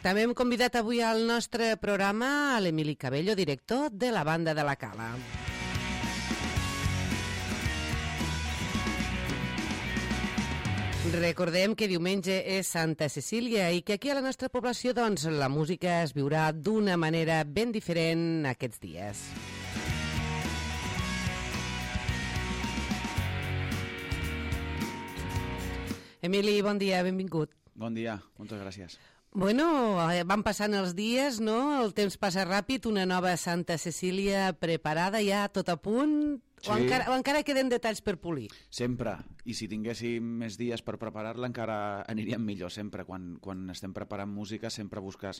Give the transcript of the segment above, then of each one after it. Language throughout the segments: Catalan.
També hem convidat avui al nostre programa a l'Emili Cabello, director de la Banda de la Cala. Recordem que diumenge és Santa Cecília i que aquí a la nostra població doncs, la música es viurà d'una manera ben diferent aquests dies. Emili, bon dia, benvingut. Bon dia, moltes gràcies. Bueno, van passant els dies, no? El temps passa ràpid, una nova Santa Cecília preparada ja, tot a punt, sí. o encara queden detalls per polir? Sempre, i si tinguéssim més dies per preparar-la encara aniríem millor, sempre. Quan estem preparant música sempre busques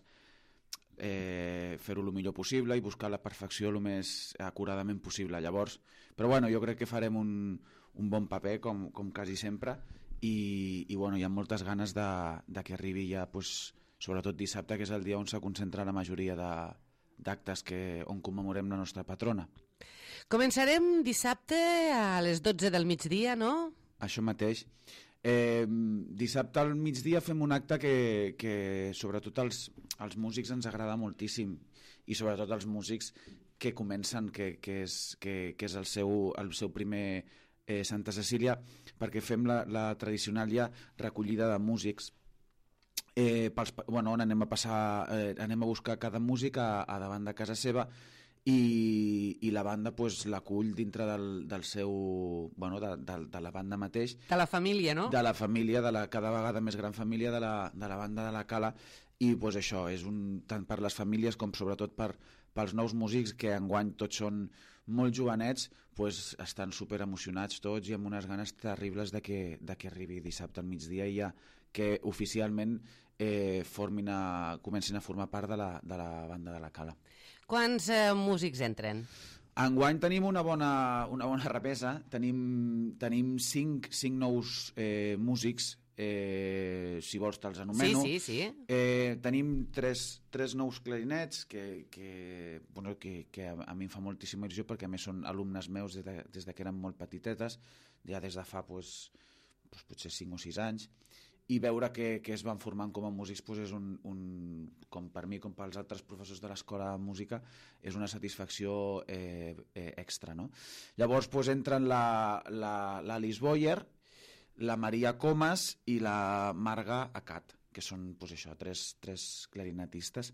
fer-ho el millor possible i buscar la perfecció el més acuradament possible. Llavors, però bueno, jo crec que farem un bon paper, com quasi sempre, i bueno, hi ha moltes ganes de que arribi ja, pues, sobretot dissabte, que és el dia on se concentra la majoria d'actes on commemorem la nostra patrona. Començarem dissabte a les 12 del migdia, no? Això mateix. Dissabte al migdia fem un acte que sobretot als músics ens agrada moltíssim, i sobretot als músics que comencen, que és el seu primer Santa Cecília, perquè fem la tradicional ja recollida de músics, on anem a buscar cada músic a davant de casa seva, i la banda pues, l'acull dintre del seu... de la banda mateix. De la família, no? De la família, de la cada vegada més gran família de la banda de la Cala, i pues, això és tant per les famílies com sobretot pels nous músics, que enguany tots són molt jovenets, pues, estan super emocionats tots i amb unes ganes terribles de que arribi dissabte al migdia i ja que oficialment comencin a formar part de la banda de la Cala. Quants músics entren? Enguany tenim una bona repesa, tenim cinc nous músics, si vols te'ls anomeno. Sí. Tenim tres nous clarinets que a mi em fa moltíssima il·lusió, perquè a més són alumnes meus des de que eren molt petitetes, ja des de fa potser 5 o 6 anys, i veure que es van formant com a músics és com per mi com pels altres professors de l'escola de música és una satisfacció extra, no? Llavors entren l'Alice Boyer, la Maria Comas i la Marga Acat, que són tres clarinetistes.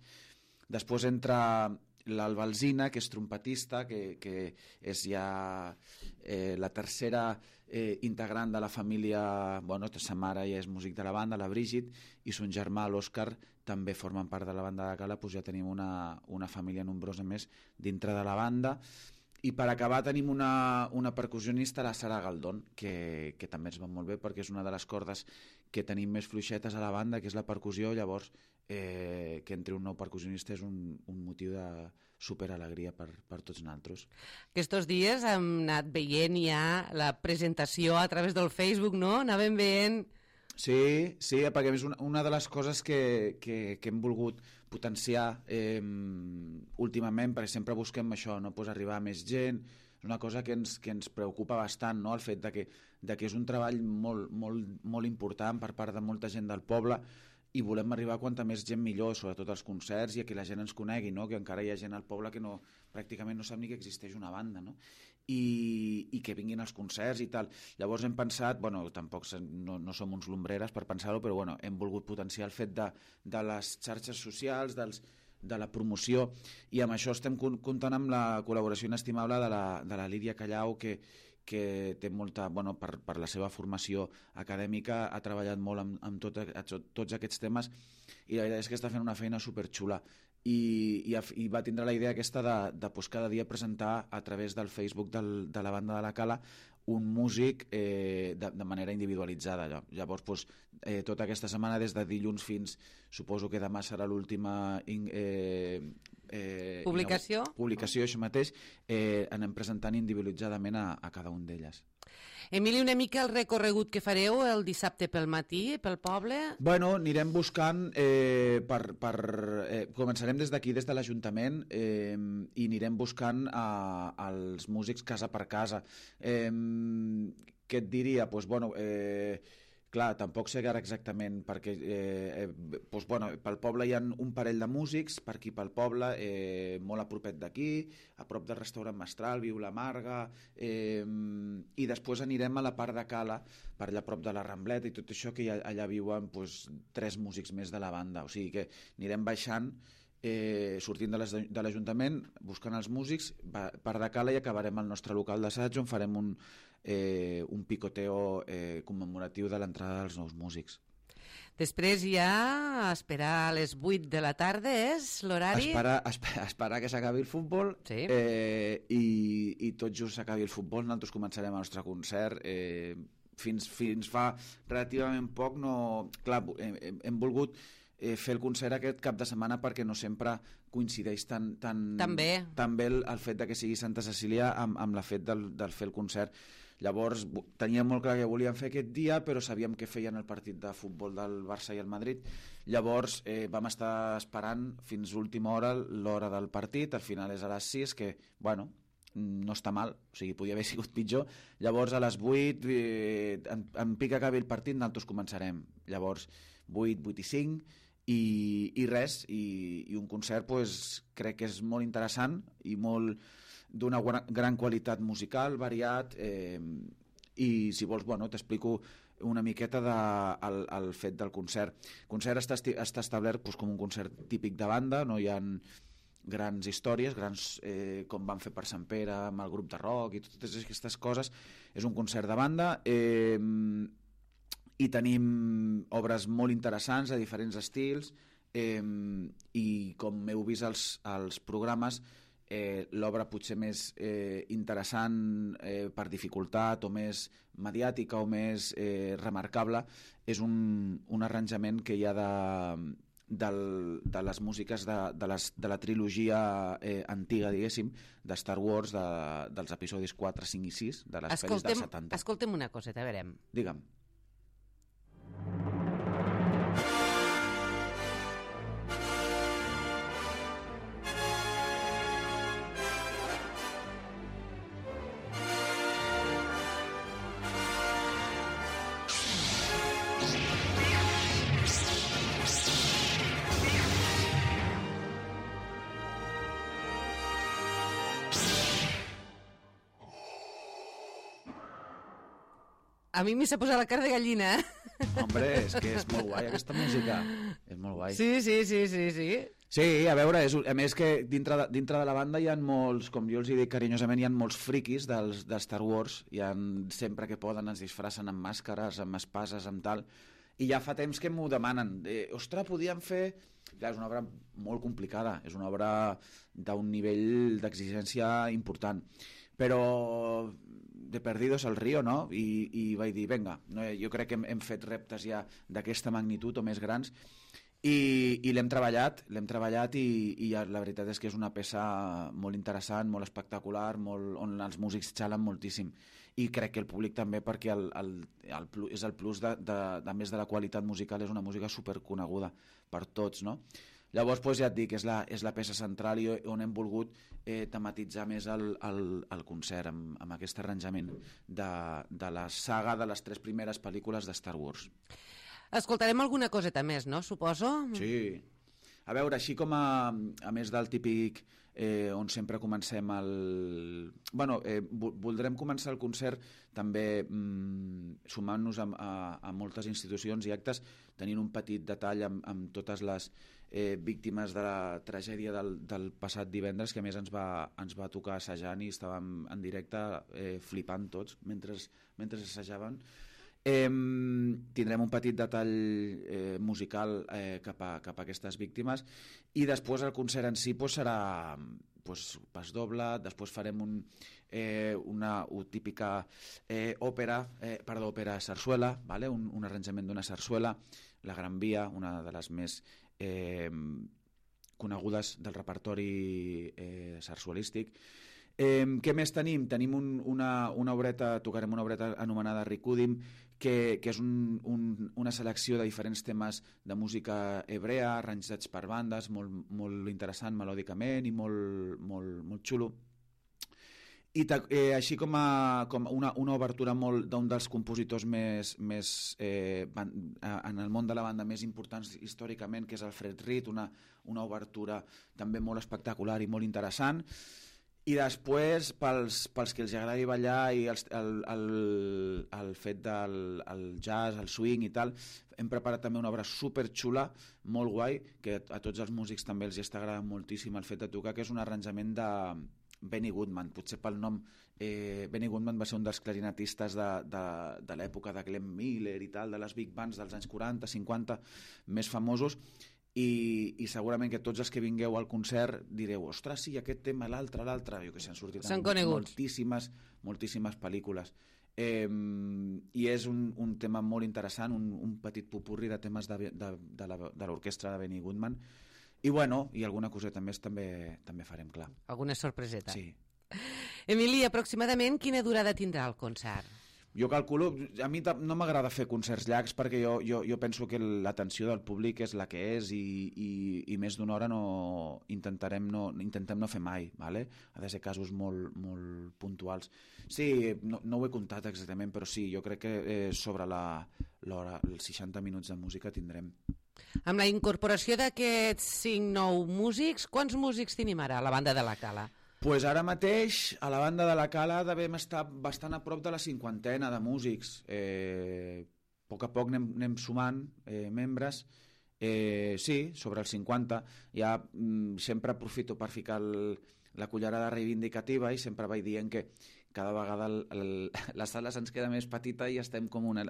Després entra l'Alba Alsina, que és trompetista, que és ja la tercera integrant de la família. Sa mare ja és músic de la banda, la Brígid, i son germà, l'Òscar, també formen part de la banda de Cala. Ja tenim una família nombrosa més dintre de la banda. I per acabar tenim una percussionista, la Sara Galdón, que també ens va molt bé, perquè és una de les cordes que tenim més fluixetes a la banda, que és la percussió. Llavors que entri un nou percussionista és un motiu de superalegria per tots nosaltres. Aquests dies hem anat veient ja la presentació a través del Facebook, no? Anàvem veient... Sí, perquè és una de les coses que hem volgut potenciar últimament, perquè sempre busquem això, no? Arribar a més gent. És una cosa que ens preocupa bastant, no? El fet de que és un treball molt, molt, molt important per part de molta gent del poble, i volem arribar a quanta més gent millor, sobretot als concerts, i a que la gent ens conegui, no? Que encara hi ha gent al poble que pràcticament no sap ni que existeix una banda, no? I que vinguin als concerts i tal. Llavors hem pensat, tampoc no som uns lumbreres per pensar-ho, però hem volgut potenciar el fet de les xarxes socials, de la promoció, i amb això estem comptant amb la col·laboració inestimable de la Lídia Callau, que té molta, per la seva formació acadèmica, ha treballat molt amb tots aquests temes, i la veritat és que està fent una feina superxula, i va tindre la idea aquesta de cada dia presentar a través del Facebook de la banda de la Cala un músic de manera individualitzada. Llavors, tota aquesta setmana, des de dilluns fins, suposo que demà serà l'última publicació, això mateix, anem presentant individualitzadament a cada un d'elles. Emili, una mica el recorregut que fareu el dissabte pel matí, pel poble? Anirem buscant, començarem des d'aquí, des de l'Ajuntament, i anirem buscant els músics casa per casa. Què et diria? clar, tampoc sé ara exactament, perquè doncs, bueno, pel poble hi ha un parell de músics, per aquí pel poble, molt a propet d'aquí, a prop del restaurant Mestral, viu la Marga, i després anirem a la part de Cala, per allà a prop de la Rambleta i tot això, que allà viuen doncs, 3 músics més de la banda, o sigui que anirem baixant, sortint de l'Ajuntament, buscant els músics, per de Cala, i acabarem al nostre local d'assaig, on farem un picoteo commemoratiu de l'entrada dels nous músics. Després ja esperar a les 8 de la tarda és l'horari? Esperar que s'acabi el futbol, sí. I tot just s'acabi el futbol, nosaltres començarem el nostre concert. Fins fa relativament poc clar, hem volgut fer el concert aquest cap de setmana perquè no sempre coincideix tan bé el fet de que sigui Santa Cecília amb el fet del fer el concert. Llavors teníem molt clar que volíem fer aquest dia, però sabíem que feien el partit de futbol del Barça i el Madrid. Llavors vam estar esperant fins última hora l'hora del partit, al final és a les 6, que bueno, no està mal, o sigui, podia haver sigut pitjor. Llavors a les 8 en pic acabi el partit, nosaltres començarem. Llavors 8, 8 i 5 i res, i un concert pues, crec que és molt interessant i molt d'una gran qualitat musical, variat, i si vols, bueno, t'explico una miqueta del fet del concert. El concert està establert pues, com un concert típic de banda, no hi ha grans històries, com van fer per Sant Pere amb el grup de rock i totes aquestes coses. És un concert de banda, i tenim obres molt interessants de diferents estils, i com heu vist als programes, l'obra potser més interessant per dificultat o més mediàtica o més remarcable és un arranjament que hi ha de les músiques de la trilogia antiga, diguéssim, de Star Wars, dels episodis 4, 5 i 6 de les pel·lis dels 70. Escolta'm una coseta, a veure. Digue'm. A mi m'hi s'ha posat la cara de gallina. Hombre, és que és molt guai aquesta música. És molt guai. Sí. Sí, a veure, a més que dintre de la banda hi ha molts, com jo els dic carinyosament, hi ha molts friquis de Star Wars, sempre que poden es disfracen amb màscares, amb espases, amb tal, i ja fa temps que m'ho demanen. Ostres, podíem fer... Clar, és una obra molt complicada, és una obra d'un nivell d'exigència important, però de perdidos al río, no? I vaig dir, vinga, jo crec que hem fet reptes ja d'aquesta magnitud o més grans, i l'hem treballat i la veritat és que és una peça molt interessant, molt espectacular, on els músics xalen moltíssim, i crec que el públic també, perquè és el plus de més de la qualitat musical, és una música superconeguda per tots, no? Llavors, doncs, ja et dic, és la peça central i on hem volgut tematitzar més el concert amb aquest arranjament de la saga de les 3 primeres pel·lícules de Star Wars. Escoltarem alguna coseta més, no? Suposo? Sí. A veure, així com a més del típic on sempre comencem voldrem començar el concert també sumant-nos a moltes institucions i actes, tenint un petit detall amb totes les víctimes de la tragèdia del passat divendres, que a més ens va tocar assajant i estàvem en directe flipant tots mentre assajaven. Tindrem un petit detall musical cap a aquestes víctimes, i després el concert en si serà pas doble. Després farem una típica òpera sarsuela, ¿vale? Un arranjament d'una sarsuela, la Gran Via, una de les més conegudes del repertori sarsuelístic. Què més tenim? Tenim una obreta, tocarem una obreta anomenada Rikudim, que és una selecció de diferents temes de música hebrea, arranjats per bandes, molt interessant melòdicament i molt xulo. així com una obertura d'un dels compositors més en el món de la banda més importants històricament, que és el Fred Reed, una obertura també molt espectacular i molt interessant. I després, pels que els agradi ballar i el fet del jazz, el swing i tal, hem preparat també una obra superxula, molt guai, que a tots els músics també els està agradant moltíssim el fet de tocar, que és un arranjament de Benny Goodman. Potser pel nom, Benny Goodman va ser un dels clarinetistes de l'època de Glenn Miller i tal, de les big bands dels anys 40, 50, més famosos, i segurament que tots els que vingueu al concert direu, ostres, sí, aquest tema, l'altre, jo que sé, han sortit moltíssimes pel·lícules. I és un tema molt interessant, un petit popurri de temes de l'orquestra de Benny Goodman, i bueno, i alguna coseta més també farem, clar. Alguna sorpreseta. Sí. Emili, aproximadament quina durada tindrà el concert? Jo calculo, a mi no m'agrada fer concerts llargs perquè jo penso que l'atenció del públic és la que és i més d'una hora intentem no fer mai, ¿vale? Ha de ser casos molt, molt puntuals. Sí, no ho he comptat exactament, però sí, jo crec que sobre l'hora, els 60 minuts de música tindrem. Amb la incorporació d'aquests 5 nous músics, quants músics tenim ara a la banda de la Cala? Pues ara mateix, a la banda de la Cala devem estar bastant a prop de la 50ena de músics. A poc a poc anem sumant membres. Sí, sobre els 50. Ja sempre aprofito per ficar la cullerada reivindicativa i sempre vaig dient que cada vegada la sala se'ns queda més petita i estem com una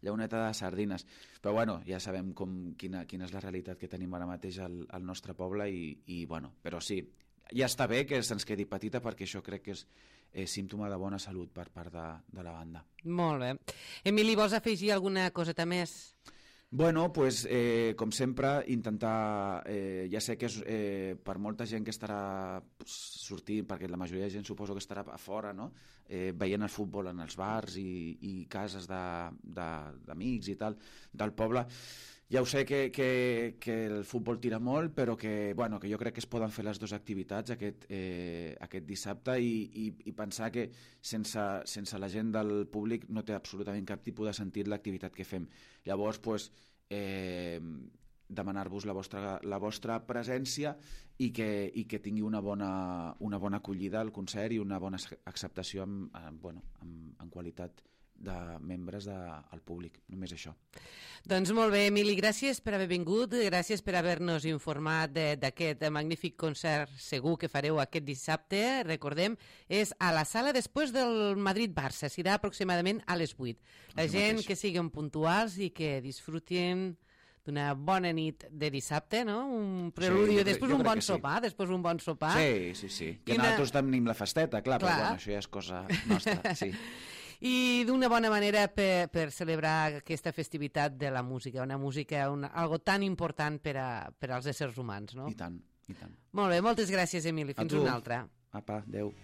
llauneta de sardines. Però bueno, ja sabem quina és la realitat que tenim ara mateix al nostre poble i bueno, però sí, ja està bé que se'ns quedi petita perquè això crec que és símptoma de bona salut per part de la banda. Molt bé. Emili, vols afegir alguna coseta més? Bueno, pues, com sempre, intentar... ja sé que és per molta gent que estarà sortint, perquè la majoria de gent suposo que estarà a fora, no? Veient el futbol en els bars i cases d'amics i tal, del poble. Ja ho sé que el futbol tira molt, però que jo crec que es poden fer les dues activitats aquest dissabte i pensar que sense la gent del públic no té absolutament cap tipus de sentit l'activitat que fem. Llavors, demanar-vos la vostra presència i que tingui una bona acollida al concert i una bona acceptació en qualitat de membres del públic, només això. Doncs molt bé, Emili, gràcies per haver vingut, gràcies per haver-nos informat d'aquest magnífic concert segur que fareu aquest dissabte. Recordem, és a la sala després del Madrid-Barça, serà aproximadament a les 8. La gent que siguin puntuals i que disfrutin d'una bona nit de dissabte, no? Un preludi, després un bon sopar, Sí. Que nosaltres tenim la festeta, clar, però bueno, això ja és cosa nostra, sí. I d'una bona manera per celebrar aquesta festivitat de la música, una música, algo tan important per als éssers humans, no? I tant. Molt bé, moltes gràcies, Emili. Fins una altra. Apa, adeu.